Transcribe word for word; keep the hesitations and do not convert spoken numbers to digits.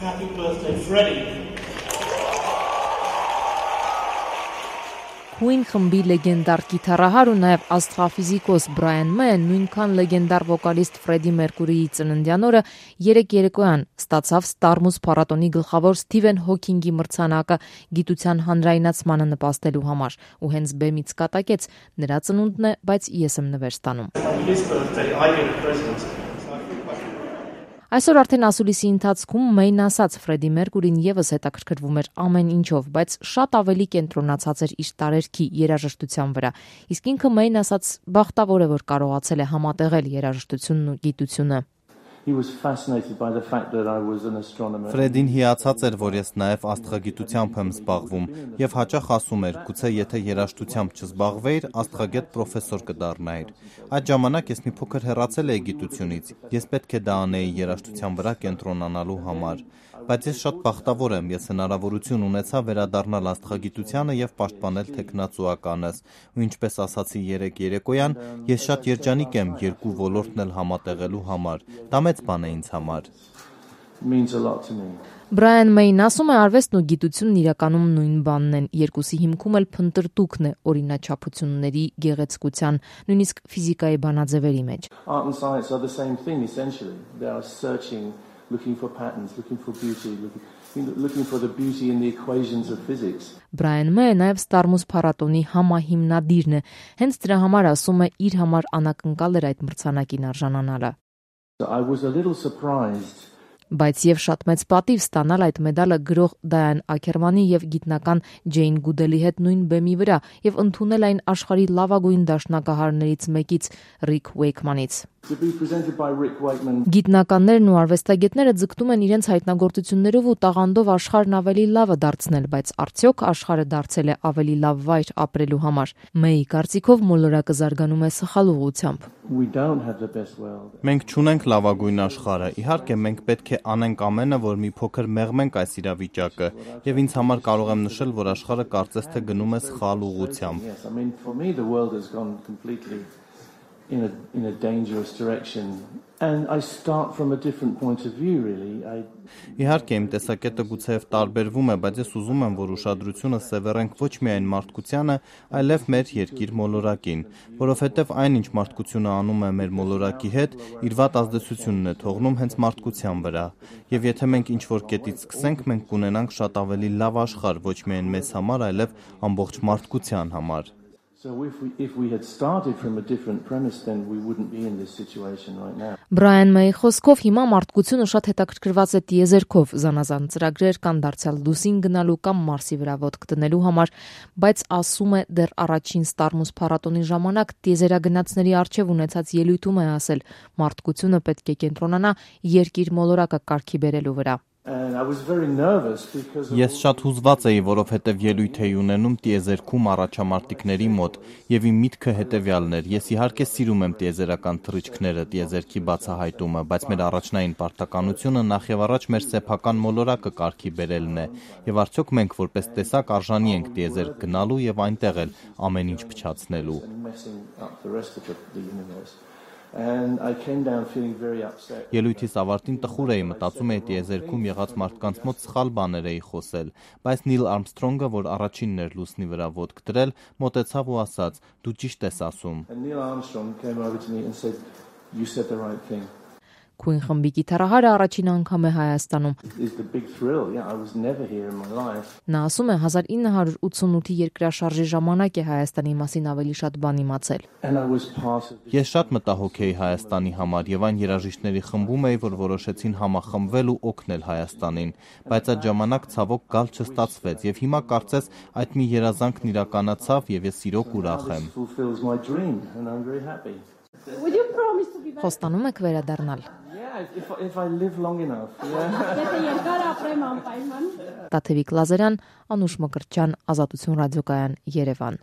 Happy birthday, Freddie. Queen խմբի լեգենդար գիտարահար ու նաև աստղաֆիզիկոս Բրայան Մեյը նույնքան լեգենդար վոկալիստ Ֆրեդի Մերկուրիի ծննդյան օրը երեկ երեկոյան ստացավ Ստարմուս փառատոնի գլխավոր Սթիվեն Հոքինգի մրցանակը գիտության հանրայնացմանը նպաստելու համար ու հենց բեմից կատակեց նրա ծնունդն է, բայց ես եմ նվեր ստանում։ His birthday, I get a present. Այսօր արդեն ասուլիսի ընթացքում Մեյն ասաց Ֆրեդի Մերկուրին եւս հետաքրքրվում էր ամեն ինչով, բայց շատ ավելի կենտրոնացած էր իր տարերքի երաժշտության վրա։ Իսկ ինքը Մեյն ասաց բախտավոր է, որ կարողացել է համատեղել երաժշտությունն ու գիտությունը։ Ֆրեդին հիացած էր, որ ես նաև աստղագիտությամբ եմ զբաղվում եւ հաճախ ասում էր, գուցե եթե երաժշտությամբ չզբաղվեիր, աստղագետ պրոֆեսոր կդառնայիր։ Այդ ժամանակ ես մի փոքր հեռացել էի գիտությունից։ Ես պետք է դա անեի երաժշտության վրա կենտրոնանալու համար։ Բայց ես շատ բախտավոր եմ, ես հնարավորություն ունեցա վերադառնալ աստղագիտությանը եւ պաշտպանել թեկնածուականս։ Ու ինչպես ասացի երեք երեկոյան, ես շատ երջանիկ եմ երկու ոլորտն էլ համատեղելու համար։ Դա մեծ բան է ինձ համար։ Բրայան Մեյն ասում է, արվեստն ու գիտությունն իրականում նույն բանն են, երկուսի հիմքում էլ փնտրտուքն է օրինաչափությունների գեղեցկության, նույնիսկ ֆիզիկայի բանաձևերի մեջ։ Looking for patterns, looking for beauty, looking, looking for the beauty in the equations of physics. Բրայան Մեյը նաև Ստարմուս փառատոնի համահիմնադիրն է, հենց դրա համար ասում է իր համար անակնկալ էր այդ մրցանակին արժանանալը։ I was a little surprised. Բայց եւ շատ մեծ պատիվ ստանալ այդ մեդալը գրող Դայան Աքերմանի եւ գիտնական Ջեյն Գուդելի հետ նույն բեմի վրա եւ ընդունել այն աշխարհի լավագույն դաշնակահարներից մեկից Ռիկ Ուեյքմանից։ Գիտնականներն ու արվեստագետները ձգտում են իրենց հայտնագործություններով ու տաղանդով աշխարհն ավելի լավը դարձնել, բայց արդյոք աշխարհը դարձել է ավելի լավ վայր ապրելու համար։ Մեյի կարծիքով մոլորակը զարգանում է սխալ ուղղությամբ։ Մենք չունենք լավագույն աշխարհը։ Իհարկե, մենք պետք է անենք ամենը, որ մի փոքր մեղմենք այս իրավիճակը, եւ ինձ համար կարող եմ նշել, որ աշխարհը կարծես թե գնում է սխալ ուղղությամբ։ In a, in a dangerous direction. And I start from a different point of view, really. I... Իհարկե, իմ տեսակետը գուցեև տարբերվում է, բայց ես ուզում եմ, որ ուշադրությունը սևեռենք ոչ միայն մարդկությանը, այլև մեր երկիր մոլորակին, որովհետև այն, ինչ մարդկությունը անում է մեր մոլորակի հետ, իր վատ ազդեցությունն է թողնում հենց մարդկության վրա։ Եվ եթե մենք ինչ-որ կետից սկսենք, մենք կունենանք շատ ավելի լավ աշխարհ, ոչ միայն մեզ համար, այլև ամբողջ մարդկության համար։ So if we if we had started from a different premise, then we wouldn't be in this situation right now. Բրայան Մեյի խոսքով հիմա մարդկությունը շատ հետաքրքրված է տիեզերքով, զանազան ծրագրեր կան դարձյալ լուսին գնալու կամ Մարսի վրա ոտք դնելու համար, բայց ասում է դեռ առաջին Ստարմուս փառատոնի ժամանակ տիեզերագնացների արչև ունեցած ելույթում է ասել, մարդկությունը պետք է կենտրոնանա երկիր մոլորակը կարգի բերելու վրա։ And I was very nervous because Ես շատ հուզված էի, որովհետև ելույթ էի ունենում տիեզերքում առաջամարտիկների մոտ, եւ իմ միտքը հետեւյալն էր. ես իհարկե սիրում եմ տիեզերական թռիչքները, տիեզերքի բացահայտումը, բայց մեր առաջնային պարտականությունը նախ եւ առաջ մեր սեփական մոլորակը կարգի բերելն է, եւ արդյոք մենք որպես տեսակ արժանի ենք տիեզերք գնալու եւ այնտեղ էլ ամեն ինչ փչացնելու։ And I came down feeling very upset. Ելույթիս ավարտին տխուր էի, մտածում էի տիեզերքում եղած մարդկանց մոտ սխալ բաներ էի խոսել, բայց Նիլ Արմսթրոնգը, որ առաջինն էր լուսնի վրա ոտք դրել, մոտեցավ ու ասաց. դու ճիշտ ես ասում։ And Neil Armstrong came over to me and said, you said the right thing. Queen խմբի գիտարահարը առաջին անգամ է Հայաստանում։ It's the big thrill. Yeah, I was never here in my life. Նա ասում է հազար ինը հարյուր ութսունութի երկրաշարժի ժամանակ է Հայաստանի մասին ավելի շատ բան իմացել։ And I was part of Ես շատ մտահոգ էի Հայաստանի համար եւ այն երաժիշտների խմբում էի, որ որոշեցին համախմբվել ու օգնել Հայաստանին, բայց այդ ժամանակ ցավոք գալ չստացվեց եւ հիմա կարծես այդ մի երազանքն իրականացավ եւ ես իրոք ուրախ եմ։ fulfills my dream and I'm very happy. Would you promise to be back? Խոստանում եք վերադառնալ։ Yeah, if if I live long enough. Yeah. Եթե երկար ապրեմ անպայման։ Տաթևիկ Լազարյան, Անուշ Մկրտչյան, Ազատություն ռադիոկայան, Երևան։